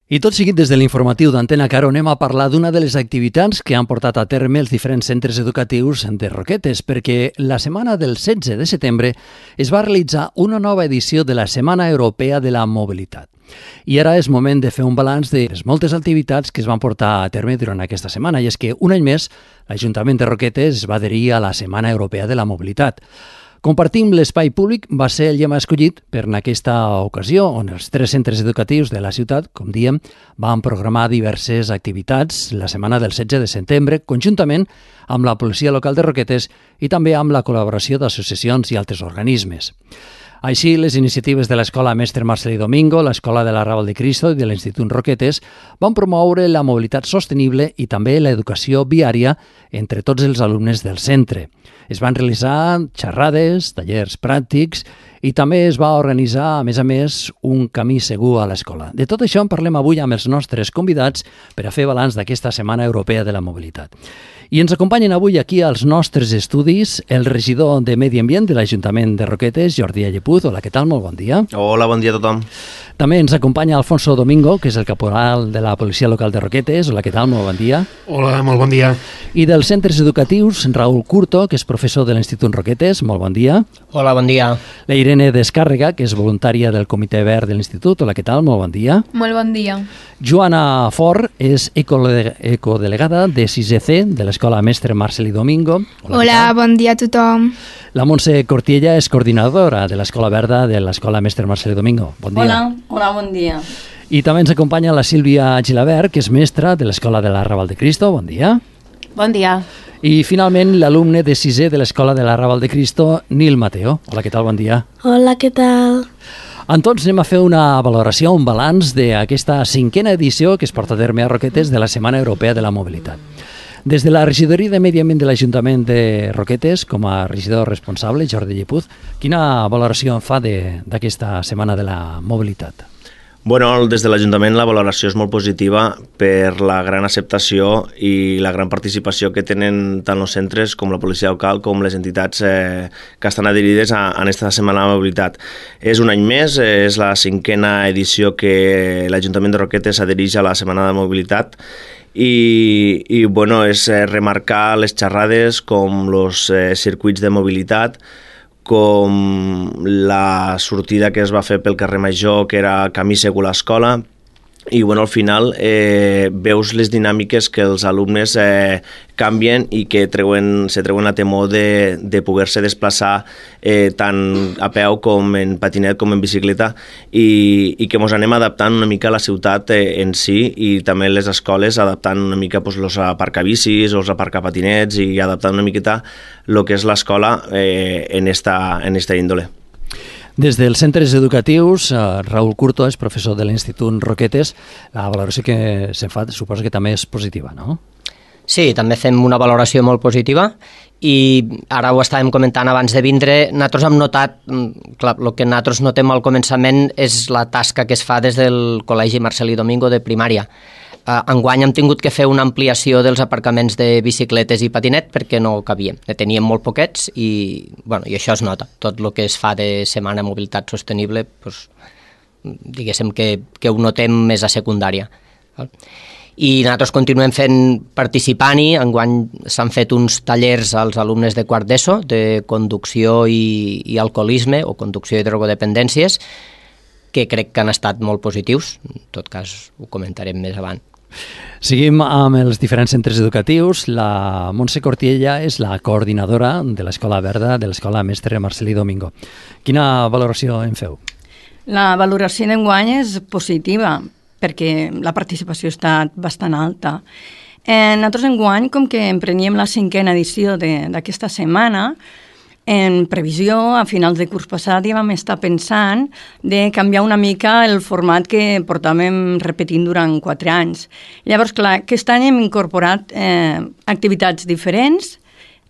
I tot seguit des de l'informatiu d'Antena Caro anem a parlar d'una de les activitats que han portat a terme els diferents centres educatius de Roquetes, perquè la setmana del 16 de setembre es va realitzar una nova edició de la Setmana Europea de la Mobilitat. I ara és moment de fer un balanç de les moltes activitats que es van portar a terme durant aquesta setmana, i és que un any més l'Ajuntament de Roquetes es va adherir a la Setmana Europea de la Mobilitat. Compartim l'espai públic va ser el lema escollit per en aquesta ocasió, on els 3 centres educatius de la ciutat, com diem, van programar diverses activitats la setmana del 16 de setembre, conjuntament amb la policia local de Roquetes i també amb la col·laboració d'associacions i altres organismes. Així, les iniciatives de l'Escola Mestre Marcelí Domingo, l'Escola de l'Arrabal de Cristo i de l'Institut Roquetes van promoure la mobilitat sostenible i també l'educació viària entre tots els alumnes del centre. Es van realitzar xerrades, tallers pràctics i també es va organitzar, a més, un camí segur a l'escola. De tot això en parlem avui amb els nostres convidats per a fer balanç d'aquesta Setmana Europea de la Mobilitat. I ens acompanyen avui aquí als nostres estudis el regidor de Medi Ambient de l'Ajuntament de Roquetes, Jordi Allepuz. Hola, què tal? Molt bon dia. Hola, bon dia a tothom. També ens acompanya Alfonso Domingo, que és el caporal de la Policia Local de Roquetes. Hola, què tal? Molt bon dia. Hola, molt bon dia. I dels centres educatius, Raúl Curto, que és professor de l'Institut Roquetes. Molt bon dia. Hola, bon dia. La Irene Descàrrega, que és voluntària del Comitè Verd de l'Institut. Hola, què tal? Molt bon dia. Molt bon dia. Joana Fort és ecodelegada de 6C de l'Escola Mestre Marcelí Domingo. Hola, bon dia a tothom. La Montse Cortiella és coordinadora de l'Escola Verda de l'Escola Mestre Marcelí Domingo. Bon dia. Hola, bon dia. I també ens acompanya la Sílvia Gilabert, que és mestra de l'Escola de l'Arrabal de Cristo. Bon dia. Bon dia. I finalment l'alumne de 6è de l'Escola de l'Arrabal de Cristo, Nil Mateo. Hola, què tal? Bon dia. Hola, què tal? En tots anem a fer una valoració, un balanç d'aquesta 5a edició que es porta a terme a Roquetes de la Setmana Europea de la Mobilitat. Des de la regidoria de Medi Ambient de l'Ajuntament de Roquetes, com a regidor responsable, Jordi Allepuz, quina valoració en fa d'aquesta Setmana de la Mobilitat? Bueno, des de l'Ajuntament la valoració és molt positiva per la gran acceptació i la gran participació que tenen tant els centres com la policia local com les entitats que estan adherides a aquesta Setmana de la Mobilitat. És un any més, és la 5a edició que l'Ajuntament de Roquetes adhereix a la Setmana de Mobilitat i bueno, és remarcar les xerrades com els circuits de mobilitat, com la sortida que es va fer pel carrer Major, que era camí segur a l'escola, i bueno, al final veus les dinàmiques que els alumnes canvien i que se treuen la temor de poder-se desplaçar tant a peu com en patinet com en bicicleta i que ens anem adaptant una mica a la ciutat en si i també les escoles adaptant una mica els aparcabicis o els aparcapatinets i adaptant una miqueta el que és l'escola en esta índole. Des dels centres educatius, Raúl Curto és professor de l'Institut Roquetes. La valoració que se'n fa suposo que també és positiva, no? Sí, també fem una valoració molt positiva i ara ho estàvem comentant abans de vindre. Nosaltres hem notat, clar, el que nosaltres notem al començament és la tasca que es fa des del Col·legi Marcelí Domingo de primària. Enguany hem tingut que fer una ampliació dels aparcaments de bicicletes i patinet perquè no cabíem. Ne teníem molt poquets i això es nota. Tot el que es fa de Setmana de Mobilitat Sostenible, diguéssim que ho notem més a secundària. I nosaltres continuem participant-hi. Enguany s'han fet uns tallers als alumnes de quart d'ESO de conducció i alcoholisme o conducció i drogodependències que crec que han estat molt positius. En tot cas, ho comentarem més avant. Seguim amb els diferents centres educatius. La Montse Cortiella és la coordinadora de l'Escola Verda de l'Escola Mestre Marcelí Domingo. Quina valoració en feu? La valoració d'enguany és positiva perquè la participació ha estat bastant alta. Nosaltres enguany, com que empreníem la 5a edició d'aquesta setmana, en previsió, a finals de curs passat ja vam estar pensant de canviar una mica el format que portàvem repetint durant 4 anys. Llavors, clar, aquest any hem incorporat activitats diferents,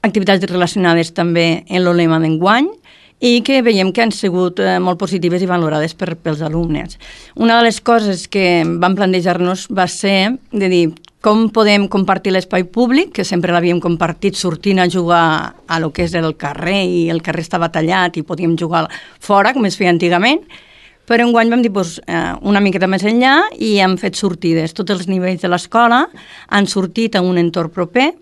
activitats relacionades també en el lema d'enguany, i que veiem que han sigut molt positives i valorades pels alumnes. Una de les coses que vam plantejar-nos va ser de dir com podem compartir l'espai públic, que sempre l'havíem compartit sortint a jugar a lo que és el carrer i el carrer estava tallat i podíem jugar fora, com es feia antigament, però enguany vam dir una miqueta més enllà i hem fet sortides. Tots els nivells de l'escola han sortit a un entorn proper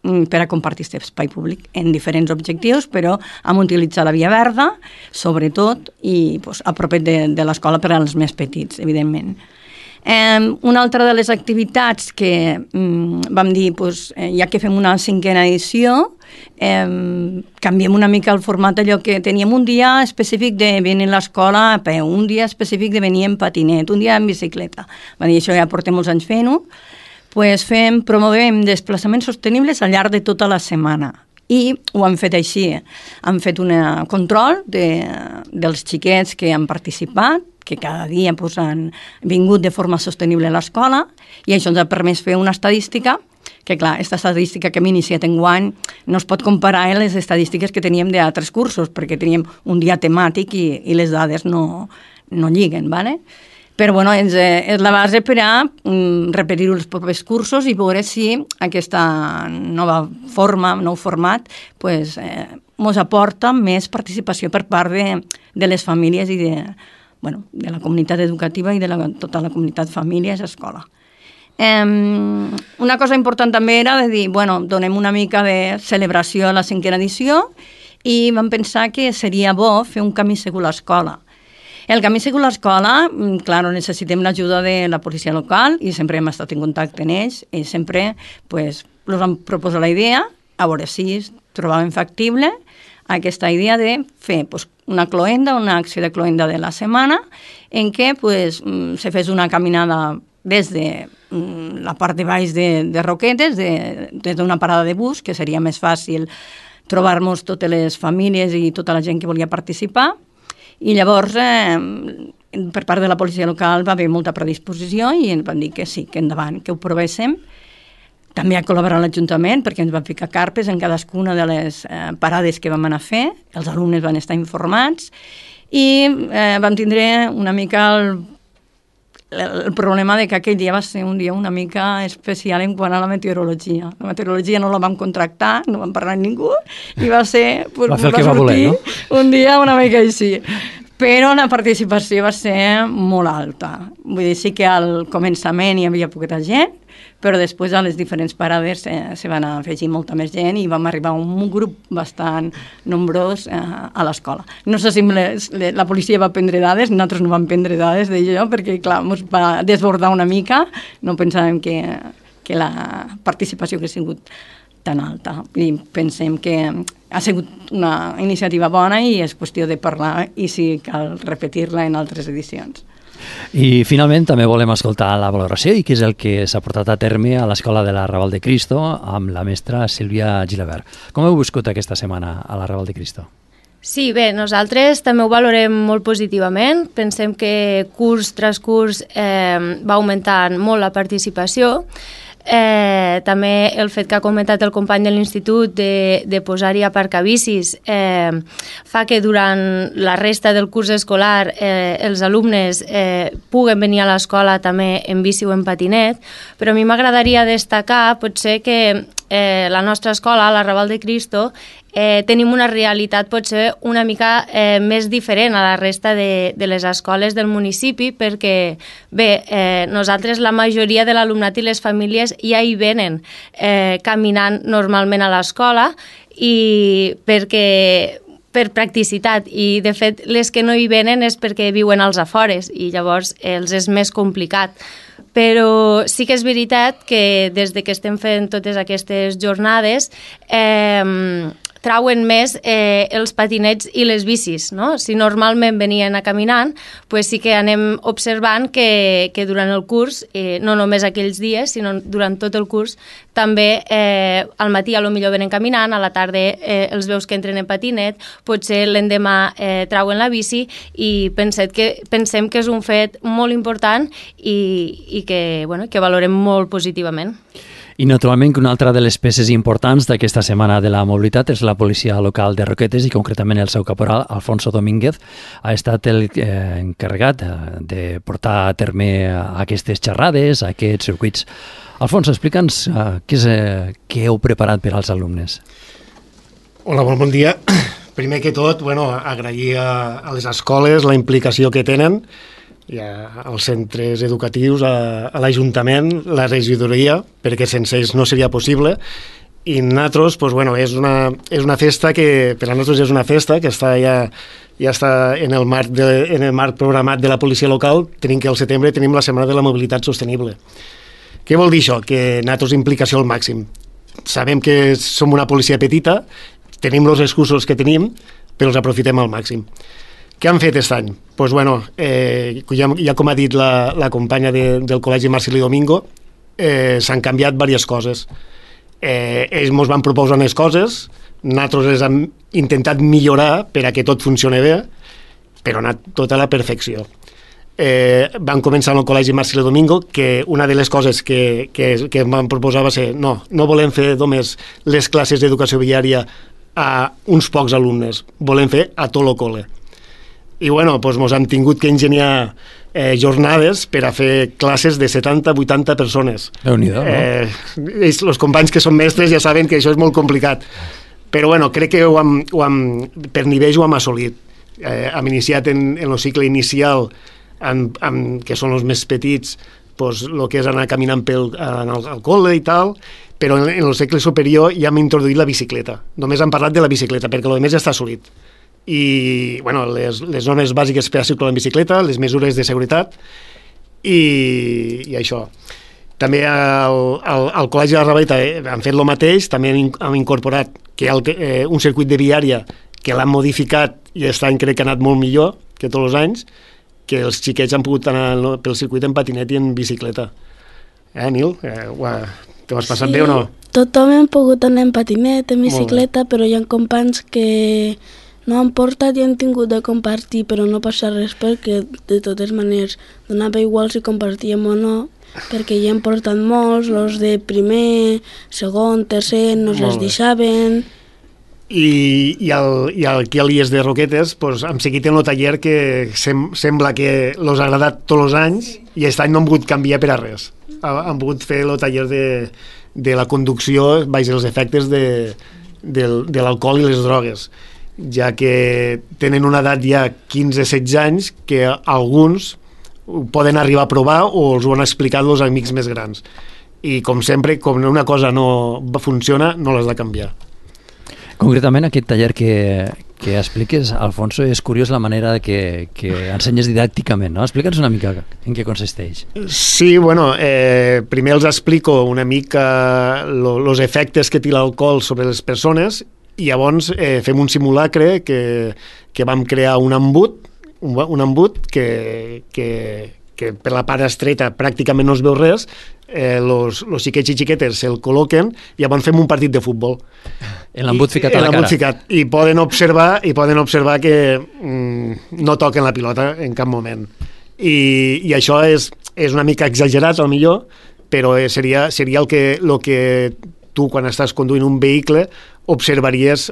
per a compartir aquest espai públic en diferents objectius, però hem utilitzat la via verda, sobretot, i a propet de l'escola per als més petits, evidentment. Una altra de les activitats que vam dir, ja que fem una 5a edició, canviem una mica el format allò que teníem un dia específic de venir a l'escola a peu, un dia específic de venir en patinet, un dia en bicicleta. Va dir, això ja portem molts anys fent-ho. Promovem desplaçaments sostenibles al llarg de tota la setmana. I ho hem fet així. Hem fet un control dels xiquets que han participat, que cada dia han vingut de forma sostenible a l'escola, i això ens ha permès fer una estadística que, clar, aquesta estadística que hem iniciat enguany no es pot comparar amb les estadístiques que teníem d'altres cursos, perquè teníem un dia temàtic i les dades no lliguen, ¿vale? Però bueno, és la base per a repetir-ho els propers cursos i veure si aquesta nova forma, nou format, ens aporta més participació per part de les famílies i de la comunitat educativa i de tota la comunitat famílies i escola. Una cosa important també era de dir, donem una mica de celebració a la 5a edició i vam pensar que seria bo fer un camí segur a l'escola. El camí segur a l'escola, clar, necessitem l'ajuda de la policia local i sempre hem estat en contacte amb ells i sempre els vam proposar la idea, a veure si trobàvem factible aquesta idea de fer una cloenda, una acció de cloenda de la setmana en què se fes una caminada des de la part de baix de Roquetes, des d'una parada de bus, que seria més fàcil trobar-nos totes les famílies i tota la gent que volia participar. I llavors, per part de la policia local va haver molta predisposició i ens van dir que sí, que endavant, que ho provéssim. També ha col·laborat l'Ajuntament perquè ens van ficar carpes en cadascuna de les parades que vam anar a fer, els alumnes van estar informats i vam tindre una mica el problema de que aquell dia va ser un dia una mica especial en quant a la meteorologia. La meteorologia no la vam contractar, no vam parlar amb ningú i va ser... Va fer el que va voler, no? Un dia una mica així. Però la participació va ser molt alta. Vull dir, sí que al començament hi havia poqueta gent, però després a les diferents parades se van afegir molta més gent i vam arribar a un grup bastant nombrós a l'escola. No sé si la policia va prendre dades, nosaltres no vam prendre dades d'allò perquè, clar, ens va desbordar una mica, no pensàvem que la participació hagués sigut tan alta. I pensem que ha sigut una iniciativa bona i és qüestió de parlar i si cal repetir-la en altres edicions. I finalment també volem escoltar la valoració i què és el que s'ha portat a terme a l'Escola de l'Arrabal de Cristo amb la mestra Sílvia Gilabert. Com heu viscut aquesta setmana a l'Arrabal de Cristo? Sí, bé, nosaltres també ho valorem molt positivament. Pensem que curs tras curs va augmentant molt la participació. També el fet que ha comentat el company de l'institut de posar-hi aparcabicis fa que durant la resta del curs escolar els alumnes puguen venir a l'escola també en bici o en patinet, però a mi m'agradaria destacar potser que la nostra escola, l'Arrabal de Cristo, tenim una realitat potser una mica més diferent a la resta de les escoles del municipi perquè, bé, nosaltres la majoria de l'alumnat i les famílies ja hi venen caminant normalment a l'escola i per practicitat i de fet les que no hi venen és perquè viuen als afores i llavors els és més complicat. Però sí que és veritat que des que estem fent totes aquestes jornades trauen més els patinets i les bicis, no? Si normalment venien a caminant, pues sí que anem observant que durant el curs, no només aquells dies, sinó durant tot el curs, també al matí a lo millor venen caminant, a la tarda els veus que entren en patinet, potser l'endemà trauen la bici i pensem que és un fet molt important i que valorem molt positivament. I naturalment que una altra de les peces importants d'aquesta setmana de la mobilitat és la policia local de Roquetes i concretament el seu caporal, Alfonso Domínguez, ha estat el encarregat de portar a terme aquestes xerrades, aquests circuits. Alfonso, explica'ns què heu preparat per als alumnes. Hola, bon dia. primer que tot, agrair a les escoles la implicació que tenen, i als centres educatius, a l'Ajuntament, la regidoria, perquè sense ells no seria possible. I nosaltres, és una festa que, per a nosaltres és una festa que està ja està en el marc programat de la policia local. Tenim que al setembre tenim la Setmana de la Mobilitat Sostenible. Què vol dir això? Que nosaltres implicació al màxim. Sabem que som una policia petita, tenim els recursos que tenim, però els aprofitem al màxim. Què han fet aquest any? Ja com ha dit la companya del Col·legi Marcelí Domingo, s'han canviat diverses coses. Ells ens van proposar unes coses, nosaltres les hem intentat millorar per a que tot funcioni bé, però ha anat tot a la perfecció. Van començar en el Col·legi Marcelí Domingo, que una de les coses que van proposar va ser no volem fer només les classes d'educació viària a uns pocs alumnes, volem fer a tot el col·le. I ens hem tingut que ingeniar jornades per a fer classes de 70-80 persones. Déu-n'hi-do, no? Els companys que són mestres ja saben que això és molt complicat, però crec que per nivell ho hem assolit. Hem iniciat en el cicle inicial, que són els més petits, el que és anar caminant al col·le i tal, però en el cicle superior ja hem introduït la bicicleta. Només hem parlat de la bicicleta, perquè el més ja està assolit. I les normes bàsiques per a circular en bicicleta, les mesures de seguretat i això. També al Col·legi de la Ravaleta han fet el mateix, també han incorporat que hi ha un circuit de viària que l'han modificat i aquest any crec que ha anat molt millor que tots els anys, que els xiquets han pogut anar pel circuit en patinet i en bicicleta. Nil? T'ho has passat bé o no? Tothom hem pogut anar en patinet, en bicicleta, però hi ha companys que no han portat i han tingut de compartir, però no passa res perquè de totes maneres donava igual si compartíem o no, perquè ja han portat molts, els de primer, segon, tercer, no els deixaven. I aquí a l'IES de Roquetes hem seguit en el taller que sembla que els ha agradat tots els anys i aquest any no han pogut canviar per a res. Han pogut fer el taller de la conducció baix els efectes de l'alcohol i les drogues, ja que tenen una edat ja 15-16 anys que alguns poden arribar a provar o els ho han explicat els amics més grans. I com sempre, com una cosa no funciona, no l'has de canviar. Concretament, aquest taller que expliques, Alfonso, és curiós la manera que ensenyes didàcticament, no? Explica'ns una mica en què consisteix. Sí, primer els explico una mica els efectes que té l'alcohol sobre les persones i llavors fem un simulacre que vam crear un embut que per la part estreta pràcticament no es veu res, els xiquets i xiquetes se'l col·loquen i llavors fem un partit de futbol. L'embut ficat a la cara. I poden observar que no toquen la pilota en cap moment. I això és una mica exagerat, potser, però seria el que tu, quan estàs conduint un vehicle, observaries.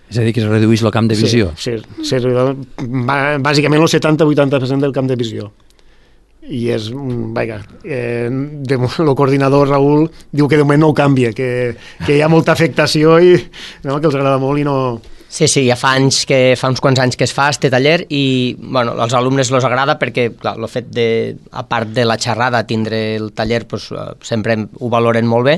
És a dir, que es redueix el camp de visió. Sí, bàsicament el 70-80% del camp de visió. I és, el coordinador Raül diu que de moment no ho canvia, que hi ha molta afectació i que els agrada molt i no... Sí, ja fa uns quants anys que es fa este taller i als alumnes els agrada perquè el fet de, a part de la xerrada, tindre el taller sempre ho valoren molt bé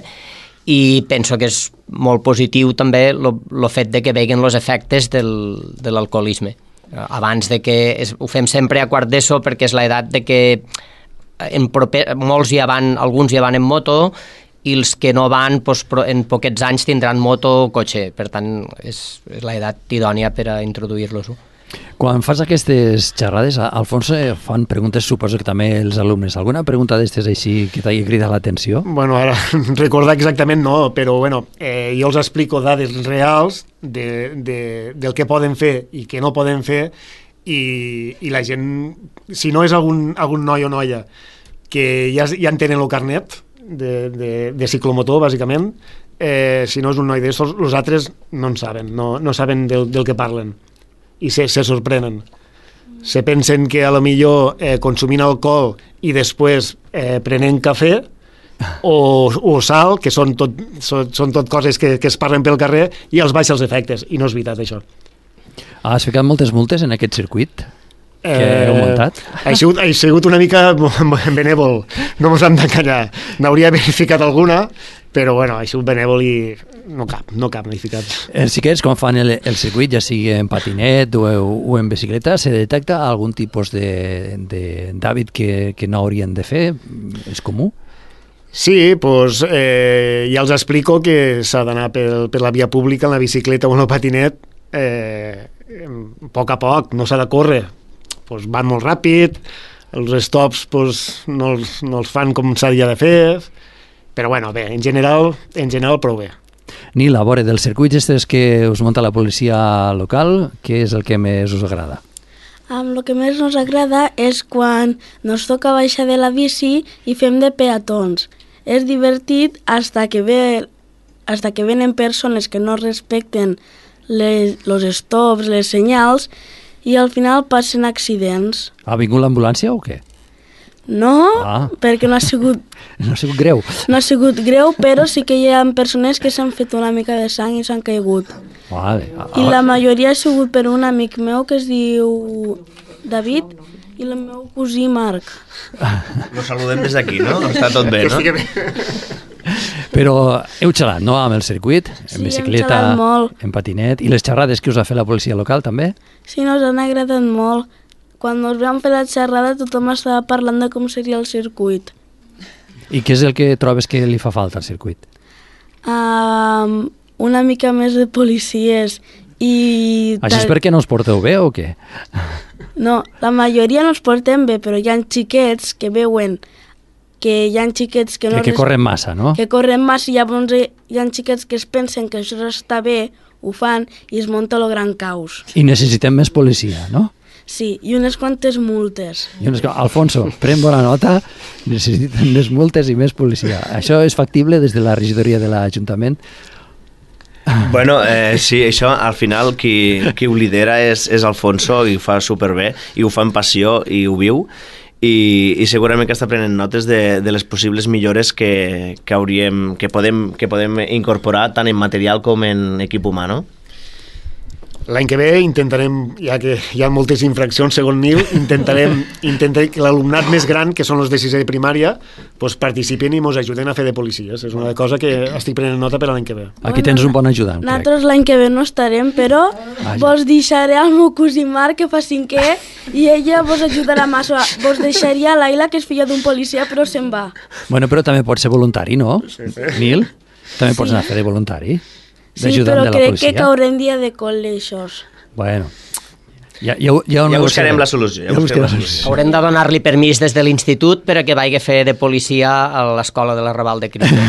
i penso que és molt positiu també el fet de que veguen els efectes de l'alcoholisme. Abans de que ho fem sempre a quart d'ESO perquè és l'edat de que molts alguns ja van en moto i els que no van en poquets anys tindran moto o cotxe, per tant és l'edat idònia per a introduir-los-ho. Quan fas aquestes xerrades, Alfonso, fan preguntes, suposo que també els alumnes. Alguna pregunta d'estes així que t'hagi cridat l'atenció? Ara recordar exactament no, però jo els explico dades reals del que poden fer i que no poden fer i la gent, si no és algun noi o noia que ja en tenen el carnet de ciclomotor, bàsicament, si no és un noi d'estos, els altres no en saben, no saben del que parlen. I se sorprenen. Se pensen que a lo millor consumint alcohol i després prenent cafè o sal, que són tot coses que es parlen pel carrer, i els baixes efectes, i no és veritat això. Has ficat moltes multes en aquest circuit que heu muntat? Ha sigut una mica benèvol, no mos hem d'encallar. N'hauria verificat alguna, però bueno, ha sigut benèvol i no cap, n'he ficat. Els xiquets, quan fan el circuit, ja sigui en patinet o en bicicleta, se detecta algun tipus d'hàbit que no haurien de fer? És comú? Sí, doncs ja els explico que s'ha d'anar per la via pública en la bicicleta o en el patinet a poc, no s'ha de córrer. Doncs van molt ràpid, els stops no els fan com s'havia de fer, però bueno, bé, en general prou bé. Nil, a veure, dels circuits estes que us munta la policia local, què és el que més us agrada? El que més ens agrada és quan ens toca baixar de la bici i fem de peatons. És divertit hasta que venen persones que no respecten els stops, les senyals, i al final passen accidents. Ha vingut l'ambulància o què? No, perquè no ha sigut... No ha sigut greu. No ha sigut greu, però sí que hi ha persones que s'han fet una mica de sang i s'han caigut. Vale. I la majoria ha sigut per un amic meu que es diu David i el meu cosí Marc. Lo saludem des d'aquí, no? Està tot bé, no? Però heu xerrat, no?, amb el circuit, en bicicleta, hem xerrat molt. en patinet, i les xerrades que us ha fet la policia local també? Sí, nos han agradat molt. Quan ens vam fer la xerrada tothom estava parlant de com seria el circuit. I què és el que trobes que li fa falta al circuit? Una mica més de policies i... Això és perquè no us porteu bé o què? No, la majoria no es portem bé, però hi ha xiquets que veuen que hi ha xiquets que no... Que corren massa, no? Que corren massa i llavors hi ha xiquets que es pensen que això està bé, ho fan i es munta el gran caos. I necessitem més policia, no? Sí, i unes quantes multes. Alfonso, pren bona nota, necessiten més multes i més policia. Això és factible des de la regidoria de l'Ajuntament? Bueno, sí, això al final qui ho lidera és Alfonso i ho fa superbé, i ho fa amb passió i ho viu, i segurament que està prenent notes de les possibles millores que podem incorporar tant en material com en equip humà, no? L'any que ve intentarem, ja que hi ha moltes infraccions segons Nil, intentarem que l'alumnat més gran, que són els de sisè de primària, doncs participin i ens ajuden a fer de policies. És una cosa que estic prenent nota per l'any que ve. Aquí tens un bon ajudant, crec. Nosaltres l'any que ve no estarem, però vos deixaré al meu cosí Marc, que fa 5è, i ella vos ajudarà massa. Vos deixaria a l'Aila, que és filla d'un policia, però se'n va. Bueno, però també pots ser voluntari, no? Sí. Nil? També pots anar a fer de voluntari? Sí, però crec que caurem dia de col·legis. Bueno, ja buscarem la solució. Haurem de donar-li permís des de l'institut per a que vagi a fer de policia a l'escola de la Raval de Cristo.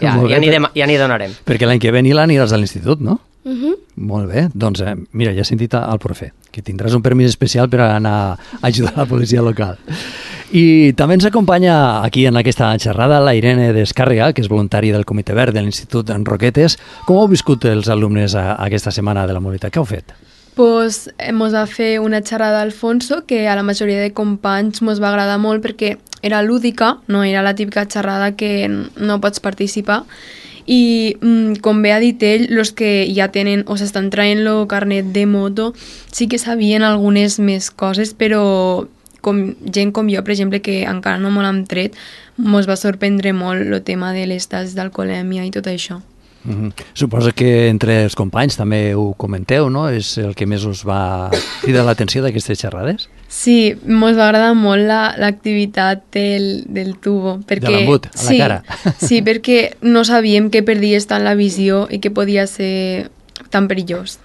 Ja n'hi donarem. Perquè l'any que ve Nil aniràs a l'institut, no? Molt bé, doncs mira, ja he sentit al profe, que tindràs un permís especial per anar a ajudar la policia local. I també ens acompanya aquí en aquesta xerrada la Irene Descàrrega, que és voluntària del Comitè Verd de l'Institut en Roquetes. Com heu viscut els alumnes aquesta setmana de la mobilitat? Què heu fet? Pues ens va fer una xerrada Alfonso que a la majoria de companys ens va agradar molt perquè era lúdica, no era la típica xerrada que no pots participar, i com bé ha dit ell, els que ja tenen o s'estan traient el carnet de moto sí que sabien algunes més coses, però gent com jo, per exemple, que encara no me l'hem tret, ens va sorprendre molt el tema de les tasses d'alcoholèmia i tot això. Suposo que entre els companys també ho comenteu, no? És el que més us va cridar l'atenció d'aquestes xerrades? Sí, ens va agradar molt l'activitat del tubo. Perquè, de l'embut, a la cara. Sí, perquè no sabíem que perdies tant la visió i que podia ser tan perillós.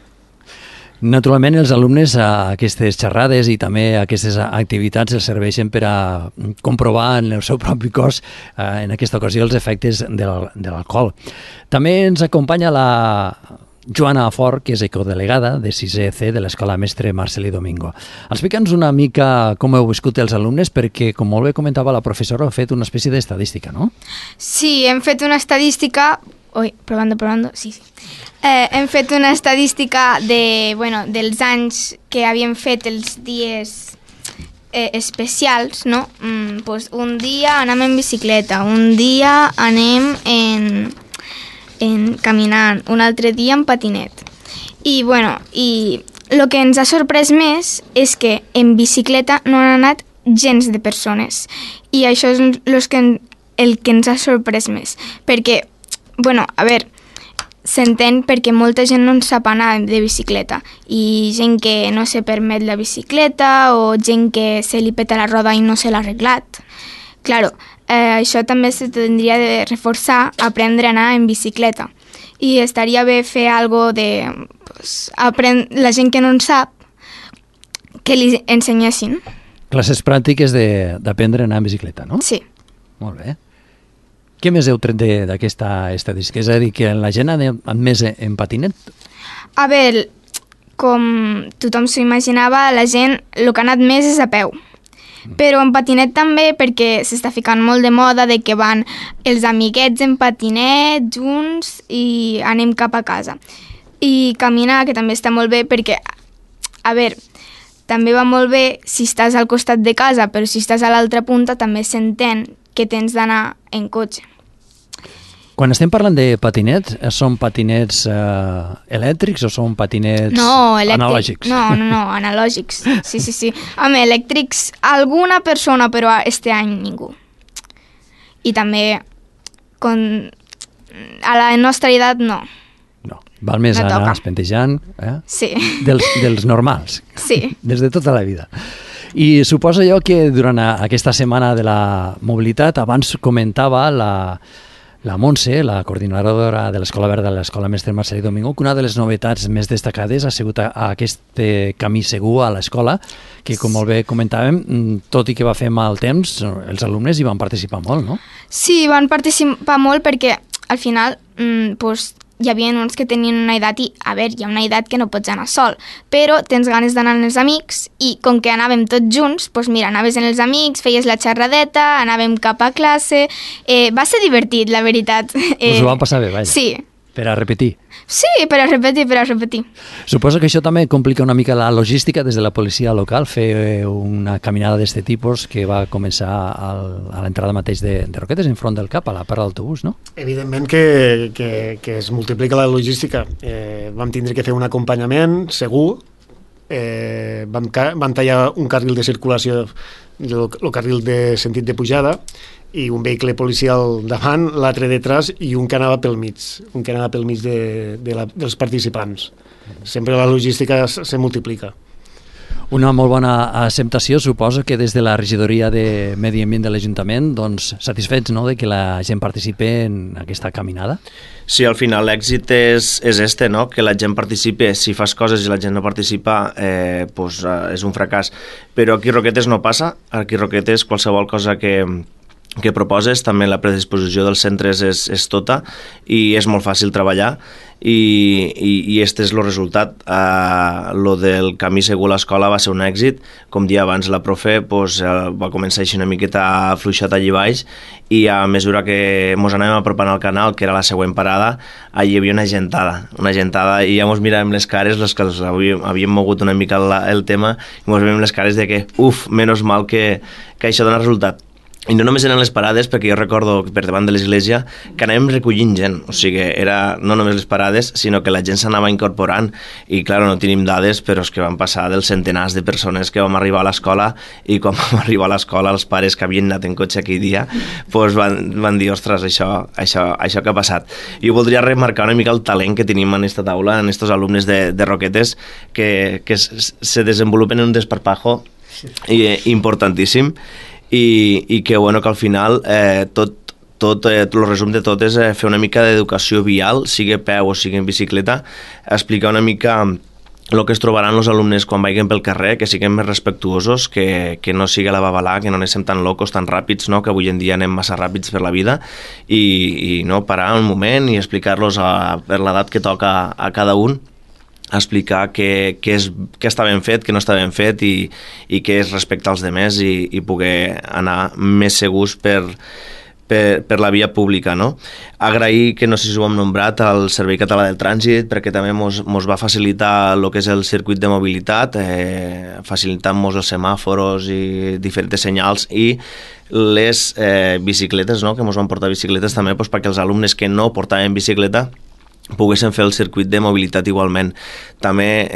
Naturalment, els alumnes a aquestes xerrades i també a aquestes activitats els serveixen per a comprovar en el seu propi cos, en aquesta ocasió, els efectes de l'alcohol. També ens acompanya la Joana Fort, que és ecodelegada de 6è C de l'Escola Mestre Marcelí Domingo. Explica'ns una mica com heu viscut els alumnes, perquè, com molt bé comentava la professora, heu fet una espècie d'estadística, no? Sí, hem fet una estadística... Probando, sí. Hem fet una estadística dels anys que havien fet els dies especials, no? Pues un dia anem en bicicleta, un dia anem en caminant, un altre dia en patinet. I, bueno, i el que ens ha sorprès més és que en bicicleta no han anat gens de persones. I això és el que ens ha sorprès més. Perquè, bueno, a veure, s'entén perquè molta gent no en sap anar de bicicleta i gent que no se permet la bicicleta o gent que se li peta la roda i no se l'ha arreglat. Claro, això també se tindria de reforçar, aprendre a anar en bicicleta. I estaria bé fer algo de la gent que no en sap, que li ensenyessin. Classes pràctiques d'aprendre a anar en bicicleta, no? Sí. Molt bé. Què més heu tret d'aquesta estadística? És a dir, que la gent ha anat més en patinet? A veure, com tothom s'ho imaginava, la gent el que ha anat més és a peu. Però en patinet també, perquè s'està ficant molt de moda de que van els amiguets en patinet junts i anem cap a casa. I caminar, que també està molt bé, perquè, a veure, també va molt bé si estàs al costat de casa, però si estàs a l'altra punta també s'entén que tens d'anar en cotxe. Quan estem parlant de patinets, són patinets elèctrics o són patinets analògics? No, analògics. Sí. Home, elèctrics, alguna persona, però este any ningú. I també, a la nostra edat, no. No, val més anar espentejant sí. dels normals. Sí. Des de tota la vida. I suposo jo que durant aquesta setmana de la mobilitat, abans comentava la Montse, la coordinadora de l'Escola Verda de l'Escola Mestre Marcelí Domingo, que una de les novetats més destacades ha sigut aquest camí segur a l'escola, que com molt bé comentàvem, tot i que va fer mal temps, els alumnes hi van participar molt, no? Sí, van participar molt perquè al final hi havia uns que tenien una edat i, a veure, hi ha una edat que no pots anar sol, però tens ganes d'anar amb els amics i com que anàvem tots junts, doncs mira, anaves amb els amics, feies la xerradeta, anàvem cap a classe, va ser divertit, la veritat. Us ho van passar bé, vaja. Sí. Per a repetir. Sí, per a repetir. Suposo que això també complica una mica la logística des de la policia local, fer una caminada d'aquest tipus que va començar a l'entrada mateix de Roquetes, en front del CAP, a la part d'autobús, no? Evidentment que es multiplica la logística. Vam tindre que fer un acompanyament segur, vam tallar un carril de circulació, el carril de sentit de pujada, i un vehicle policial davant, l'altre detrás i un que anava pel mig, dels participants. Sempre la logística se multiplica. Una molt bona acceptació, suposo que des de la regidoria de Medi Ambient de l'Ajuntament, doncs satisfets, no?, de que la gent participi en aquesta caminada? Sí, al final l'èxit és no?, que la gent participi. Si fas coses i la gent no participa, és un fracàs. Però aquí a Roquetes no passa. Aquí a Roquetes qualsevol cosa que proposes, també la predisposició dels centres és tota i és molt fàcil treballar i este és el resultat. Lo del camí segur a l'escola va ser un èxit. Com dia abans la profe va començar així una miqueta fluixat allí baix i a mesura que ens anàvem apropant al canal, que era la següent parada, allí hi havia una gentada i ja ens miràvem les cares, les que havíem mogut una mica el tema, i ens veiem les cares de que menys mal que això dona resultat. I no només eren les parades, perquè jo recordo per davant de l'església que anàvem recollint gent, o sigui, era no només les parades, sinó que la gent s'anava incorporant i, clar, no tenim dades, però és que van passar dels centenars de persones que vam arribar a l'escola i quan vam arribar a l'escola els pares que havien anat en cotxe aquell dia van dir, ostres, això que ha passat. Jo voldria remarcar una mica el talent que tenim en aquesta taula, en aquests alumnes de Roquetes, que se desenvolupen en un desparpajo importantíssim i que, bueno, que al final el resum de tot és fer una mica d'educació vial, sigui a peu o sigui en bicicleta, explicar una mica el que es trobaran els alumnes quan vagin pel carrer, que siguem més respectuosos, que no sigui la babalà, que no anem tan locos, tan ràpids, no? Que avui en dia anem massa ràpids per la vida, i no parar un moment i explicar-los per l'edat que toca a cada un, explicar què està ben fet, què no està ben fet i què és respectar els demés i poder anar més segurs per per la via pública, no? Agrair, que no sé si ho hem nombrat, al Servei Català del Trànsit, perquè també mos va facilitar el que és el circuit de mobilitat, facilitant-nos els semàforos i diferents senyals, i les bicicletes, no? Que mos van portar bicicletes també perquè els alumnes que no portaven bicicleta poguessin fer el circuit de mobilitat igualment. També,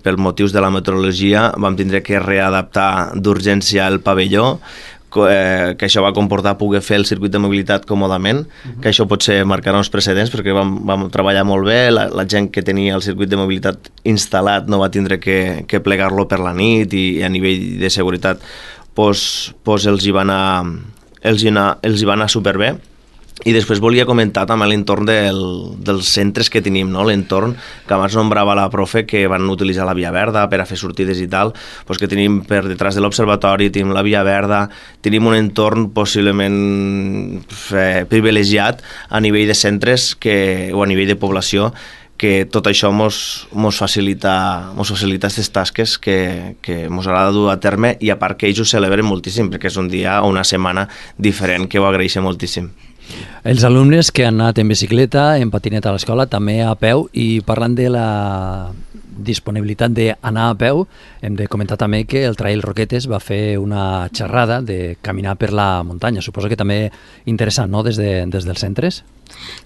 per motius de la meteorologia, vam tindre que readaptar d'urgència el pavelló, que això va comportar poder fer el circuit de mobilitat còmodament, que això potser marcarà uns precedents perquè vam treballar molt bé, la gent que tenia el circuit de mobilitat instal·lat no va tindre que plegar-lo per la nit, i a nivell de seguretat els hi va anar superbé. I després volia comentar també l'entorn dels centres que tenim, no? L'entorn que abans nombrava la profe, que van utilitzar la Via Verda per a fer sortides i tal, que tenim per detrás de l'observatori, tenim la Via Verda, tenim un entorn possiblement privilegiat a nivell de centres o a nivell de població, que tot això mos facilita aquestes tasques que mos agrada dur a terme, i a part que ells ho celebren moltíssim, perquè és un dia o una setmana diferent, que ho agraeixen moltíssim. Els alumnes que han anat en bicicleta, en patinet a l'escola, també a peu, i parlant de la disponibilitat d'anar a peu, hem de comentar també que el Trail Roquetes va fer una xerrada de caminar per la muntanya. Suposo que també interessant, no?, des dels centres?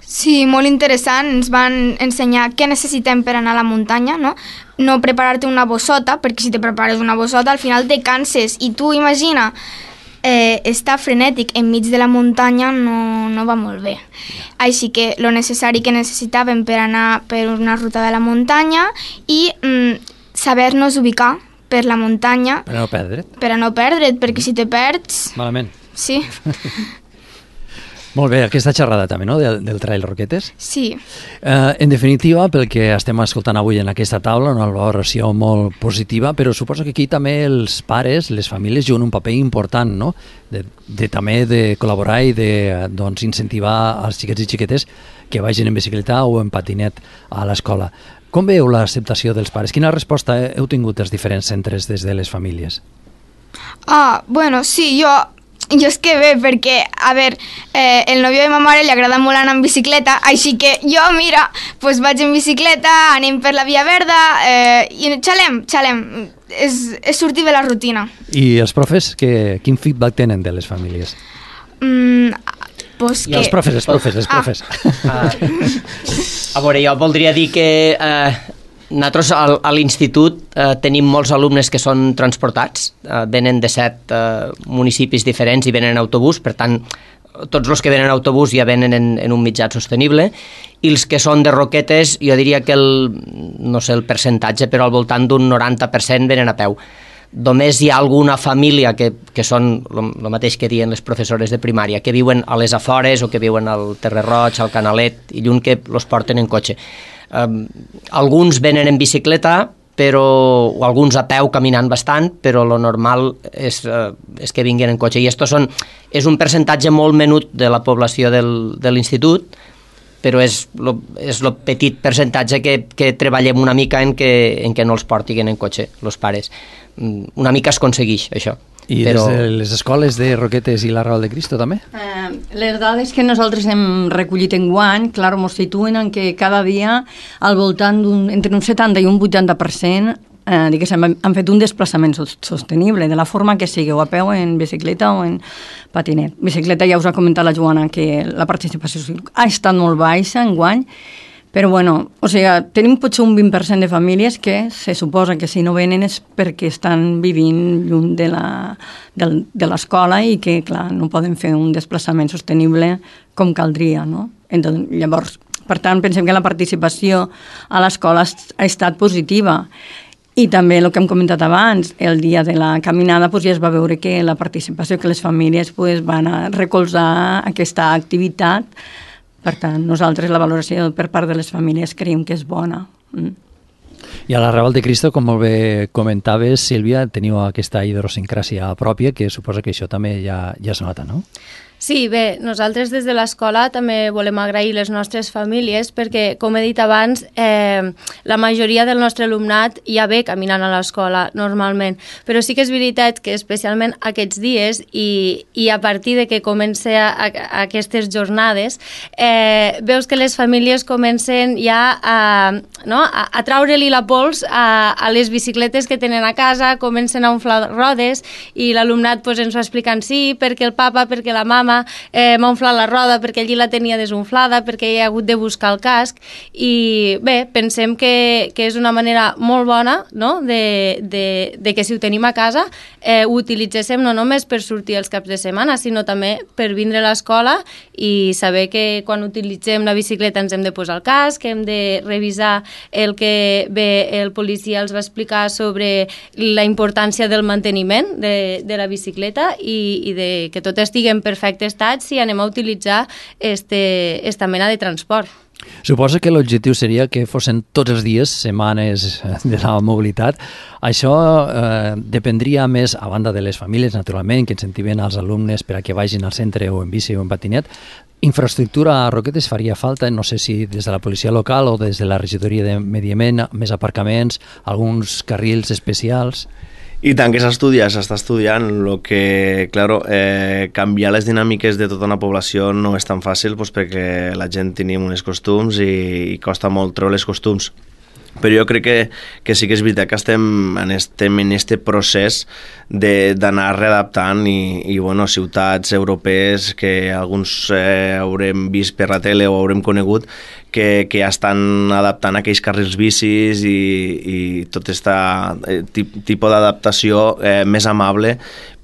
Sí, molt interessant. Ens van ensenyar què necessitem per anar a la muntanya, no? No preparar-te una bossota, perquè si te prepares una bossota al final te canses, i tu imagina estar frenètic enmig de la muntanya no va molt bé. Així que lo necessari que necessitàvem per anar per una ruta de la muntanya, i saber-nos ubicar per la muntanya. Per a no perdre't. Per a no perdre't, perquè si te perds... Malament. Sí. Molt bé, aquesta xerrada també, no?, del Trail Roquetes. Sí. En definitiva, pel que estem escoltant avui en aquesta taula, una valoració molt positiva, però suposo que aquí també els pares, les famílies, juguen un paper important, no?, també de col·laborar i incentivar els xiquets i xiquetes que vagin en bicicleta o en patinet a l'escola. Com veieu l'acceptació dels pares? Quina resposta heu tingut dels diferents centres des de les famílies? Bueno, sí, jo és que bé, perquè, a veure, el nòvio de ma mare li agrada molt anar en bicicleta, així que jo, mira, doncs vaig en bicicleta, anem per la Via Verda, i xalem. És sortir de la rutina. I els profes, quin feedback tenen de les famílies? Pues que... Els profes. A veure, jo voldria dir que nosaltres a l'institut tenim molts alumnes que són transportats, venen de 7 municipis diferents i venen en autobús, per tant, tots els que venen en autobús ja venen en un mitjà sostenible, i els que són de Roquetes, jo diria que no sé el percentatge, però al voltant d'un 90% venen a peu. Només hi ha alguna família que són el mateix que diuen les professores de primària, que viuen a les afores o que viuen al Terre Roig, al Canalet, i lluny que els porten en cotxe. Alguns venen en bicicleta, o alguns a peu caminant bastant, però lo normal és que vinguin en cotxe. I és un percentatge molt menut de la població de l'institut, però és el petit percentatge que treballem una mica en què no els portin en cotxe, els pares. Una mica es aconsegueix, això. I des de les escoles de Roquetes i la Raval de Cristo, també? Les dades que nosaltres hem recollit enguany, clar, ens situen en que cada dia al voltant entre un 70 i un 80% han fet un desplaçament sostenible, de la forma que sigui, o a peu, en bicicleta o en patinet. Bicicleta, ja us ha comentat la Joana que la participació ha estat molt baixa enguany, però bueno, o sigui, tenim potser un 20% de famílies que se suposa que si no venen és perquè estan vivint lluny de l'escola i que, clar, no poden fer un desplaçament sostenible com caldria, no? Llavors, per tant, pensem que la participació a l'escola ha estat positiva. I també el que hem comentat abans, el dia de la caminada ja es va veure que la participació, que les famílies van a recolzar aquesta activitat. Per tant, nosaltres la valoració per part de les famílies creiem que és bona. I a la Raval de Cristo, com molt bé comentaves, Sílvia, teniu aquesta idiosincràsia pròpia, que suposa que això també ja es nota, no? Sí, bé, nosaltres des de l'escola també volem agrair les nostres famílies perquè, com he dit abans, la majoria del nostre alumnat ja ve caminant a l'escola normalment, però sí que és veritat que especialment aquests dies i a partir de que comença aquestes jornades, veus que les famílies comencen ja a treure-li la pols a les bicicletes que tenen a casa, comencen a inflar rodes i l'alumnat pues, ens va explicant sí, perquè el papa, perquè la mama m'ha inflat la roda perquè allí la tenia desinflada, perquè hi ha hagut de buscar el casc i bé, pensem que és una manera molt bona, no? de que si ho tenim a casa ho utilitzéssim no només per sortir els caps de setmana, sinó també per vindre a l'escola i saber que quan utilitzem la bicicleta ens hem de posar el casc, hem de revisar el que bé el policia els va explicar sobre la importància del manteniment de la bicicleta i de que tot estigui en perfecte estat si anem a utilitzar esta mena de transport. Suposo que l'objectiu seria que fossin tots els dies setmanes de la mobilitat. Això dependria més, a banda de les famílies, naturalment, que incentiven els alumnes per a que vagin al centre o en bici o en patinet. Infraestructura a Roquetes faria falta, no sé si des de la policia local o des de la regidoria de Medi Ambient, més aparcaments, alguns carrils especials. I tant que s'està estudiant, el que, claro, canviar les dinàmiques de tota una població no és tan fàcil doncs, perquè la gent tenim uns costums i costa molt treure els costums. Però jo crec que sí que és veritat que estem en aquest procés d'anar readaptant i bueno, ciutats europees que alguns haurem vist per la tele o haurem conegut que ja estan adaptant aquells carrils bicis i tot aquest tipus d'adaptació més amable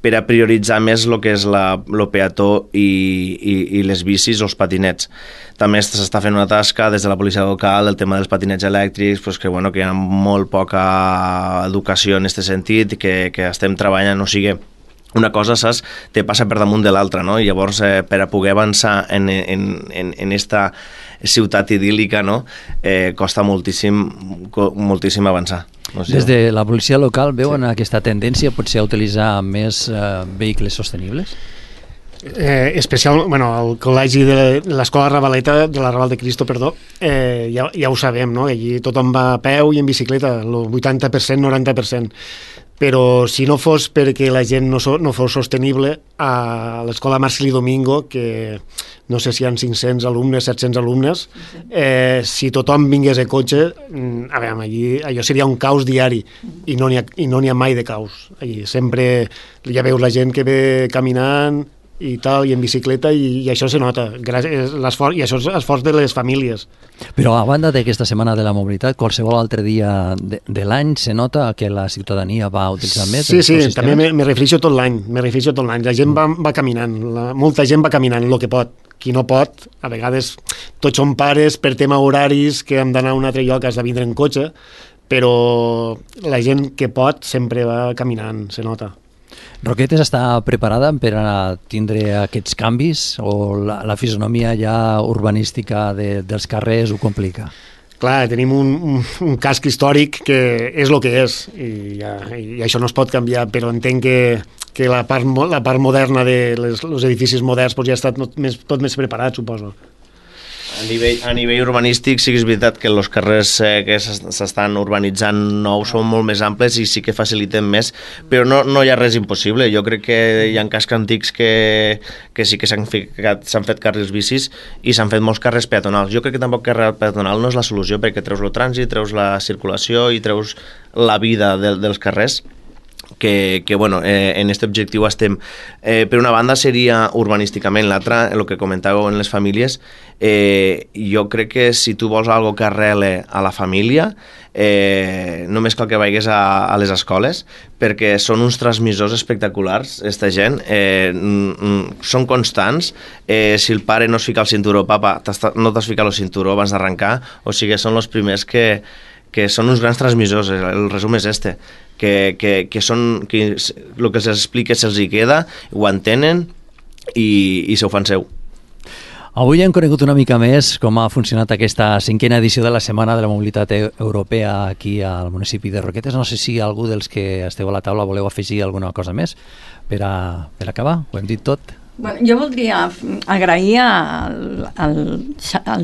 per a prioritzar més el que és el peató i les bicis o els patinets. També s'està fent una tasca des de la policia local, el tema dels patinets elèctrics, pues que hi ha molt poca educació en aquest sentit, que estem treballant, o sigui, una cosa, saps, te passa per damunt de l'altra, no? I llavors, per a poder avançar en esta ciutat idíl·lica, no? Costa moltíssim avançar. No sé. Des de la policia local veuen aquesta tendència potser a utilitzar més vehicles sostenibles? El col·legi de l'escola Ravaleta, de la Raval de Cristo, ja ho sabem, no? Allí tothom va a peu i en bicicleta, el 80%, 90%. Però si no fos perquè la gent no fos sostenible, a l'escola Marceli Domingo, que no sé si hi ha 500 alumnes, 700 alumnes, si tothom vingués a cotxe, allí allò seria un caos diari i no n'hi ha mai de caos. Allí sempre ja veus la gent que ve caminant i tal, i en bicicleta, i això se nota, i això és l'esforç de les famílies. Però a banda d'aquesta setmana de la mobilitat, qualsevol altre dia de l'any se nota que la ciutadania va utilitzar més? Sí, també me refereixo tot l'any, la gent va caminant, molta gent va caminant el que pot. Qui no pot, a vegades tots som pares per tema horaris que hem d'anar a un altre lloc, has de vindre en cotxe, però la gent que pot sempre va caminant, se nota. Roquetes està preparada per a tindre aquests canvis o la fisonomia ja urbanística dels carrers ho complica? Clar, tenim un casc històric que és el que és i això no es pot canviar, però entenc que la part moderna dels edificis moderns ja està tot més preparat, suposo. A nivell urbanístic sí que és veritat que els carrers que s'estan urbanitzant nous són molt més amples i sí que faciliten més, però no hi ha res impossible. Jo crec que hi ha cascs antics que sí que s'han fet carrils bicis i s'han fet molts carrers peatonals. Jo crec que tampoc carrer peatonal no és la solució perquè treus el trànsit, treus la circulació i treus la vida dels carrers. Que en aquest objectiu estem. Per una banda seria urbanísticament, l'altra, el que comentàveu en les famílies, jo crec que si tu vols algo que arrele a la família, només cal que vagis a les escoles, perquè són uns transmissors espectaculars, aquesta gent, són constants, si el pare no es fica el cinturó, papa, no t'has ficat el cinturó abans d'arrencar, o sigui, són els primers que són uns grans transmissors, el resum és este, que el que se'ls explica se'ls hi queda, ho entenen i se ho fan seu. Avui hem conegut una mica més com ha funcionat aquesta 5a edició de la Setmana de la Mobilitat Europea aquí al municipi de Roquetes. No sé si algú dels que esteu a la taula voleu afegir alguna cosa més per acabar. Ho hem dit tot. Bueno, jo voldria agrair al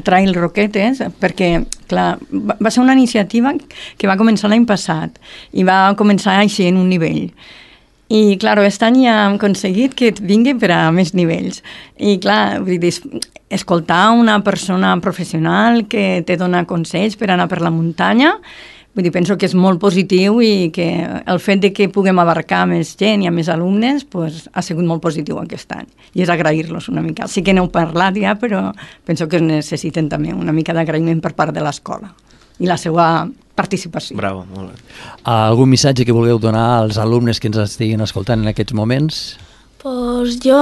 Trail Roquetes perquè, clar, va ser una iniciativa que va començar l'any passat i va començar així en un nivell. I, clar, aquest any ja hem aconseguit que vingui per a més nivells. I, clar, vull dir, escoltar una persona professional que te dona consells per anar per la muntanya, vull dir, penso que és molt positiu i que el fet de que puguem abarcar més gent i a més alumnes pues, ha sigut molt positiu aquest any. I és agrair-los una mica. Sí que n'heu parlat ja, però penso que necessiten també una mica d'agraïment per part de l'escola i la seva participació. Bravo, molt bé. Algun missatge que vulgueu donar als alumnes que ens estiguin escoltant en aquests moments? Pues jo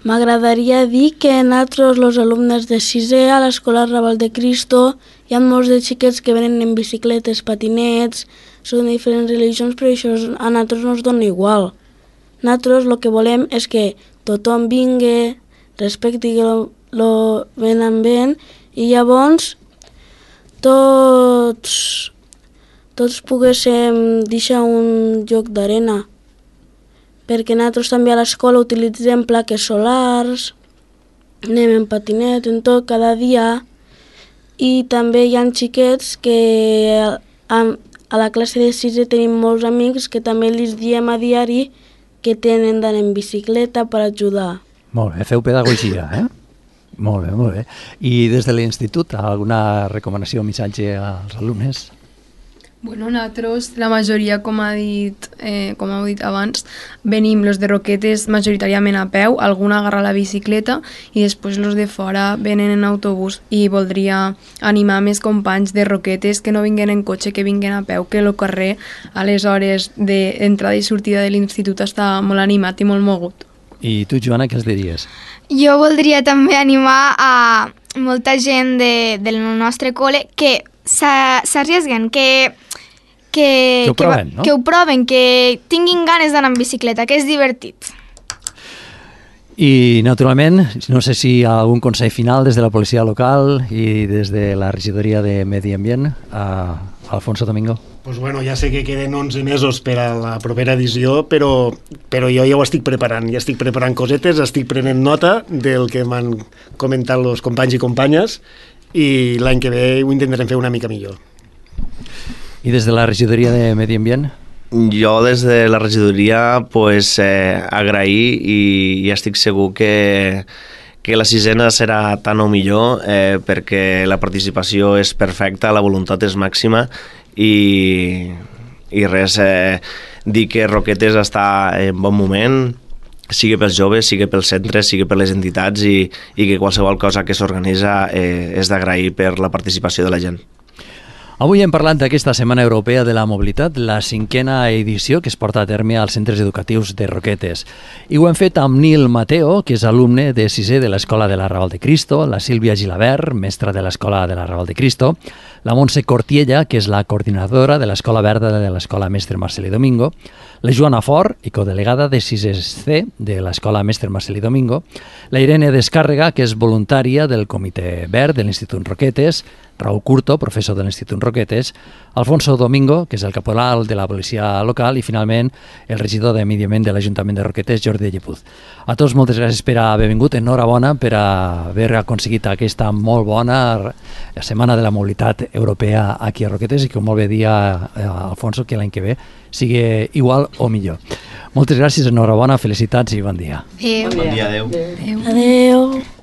m'agradaria dir que nosaltres, els alumnes de 6è a l'Escola Raval de Cristo, hi ha molts de xiquets que venen en bicicletes, patinets, són de diferents religions, però això a nosaltres no ens dona igual. Nosaltres el que volem és que tothom vingui, respecti lo ben ambient i llavors tots poguéssim deixar un lloc d'arena, perquè nosaltres també a l'escola utilitzem plaques solars, anem en patinet, en tot, cada dia, i també hi ha xiquets que a la classe de 6è tenim molts amics que també els diem a diari que tenen d'anar en bicicleta per ajudar. Molt bé, feu pedagogia, eh? Molt bé, molt bé. I des de l'institut, alguna recomanació o missatge als alumnes? Bueno, nosaltres, la majoria, com heu dit abans, venim los de Roquetes majoritàriament a peu, algun agarra la bicicleta i després los de fora venen en autobús, i voldria animar més companys de Roquetes que no vinguen en cotxe, que vinguen a peu, que el carrer a les hores d'entrada i sortida de l'institut està molt animat i molt mogut. I tu, Joana, què els diries? Jo voldria també animar a molta gent del nostre col·le que s'arriesguen, que ho proven, no? Que ho proven, que tinguin ganes d'anar en bicicleta, que és divertit. I, naturalment, no sé si hi ha algun consell final des de la policia local i des de la regidoria de Medi Ambient, Alfonso Domingo. Pues bueno, ja sé que queden 11 mesos per a la propera edició, però jo ja ho estic preparant. Ja estic preparant cosetes, estic prenent nota del que m'han comentat els companys i companyes i l'any que ve ho intentarem fer una mica millor. I des de la regidoria de Medi Ambient? Jo des de la regidoria pues, agrair i estic segur que la 6ena serà tan o millor perquè la participació és perfecta, la voluntat és màxima i res, dir que Roquetes està en bon moment, sigui pels joves, sigui pels centres, sigui per les entitats i que qualsevol cosa que s'organitza és d'agrair per la participació de la gent. Avui hem parlat d'aquesta Setmana Europea de la Mobilitat, la 5a edició que es porta a terme als centres educatius de Roquetes. I ho hem fet amb Nil Mateo, que és alumne de 6è de l'Escola de la Raval de Cristo, la Sílvia Gilabert, mestra de l'Escola de la Raval de Cristo, la Montse Cortiella, que és la coordinadora de l'Escola Verda de l'Escola Mestre Marcelí Domingo, la Joana Fort, i codelegada de 6è C de l'Escola Mestre Marcelí Domingo, la Irene Descàrrega, que és voluntària del Comitè Verd de l'Institut Roquetes, Raúl Curto, professor de l'Institut Roquetes, Alfonso Domingo, que és el caporal de la policia local, i finalment el regidor de Medi Ambient de l'Ajuntament de Roquetes, Jordi Llepuz. A tots moltes gràcies per haver vingut, enhorabona per haver aconseguit aquesta molt bona Setmana de la Mobilitat Europea aquí a Roquetes i que molt bé dia, Alfonso, que l'any que ve sigui igual o millor. Moltes gràcies, enhorabona, felicitats i bon dia. Adéu. Bon dia, adéu. Adéu.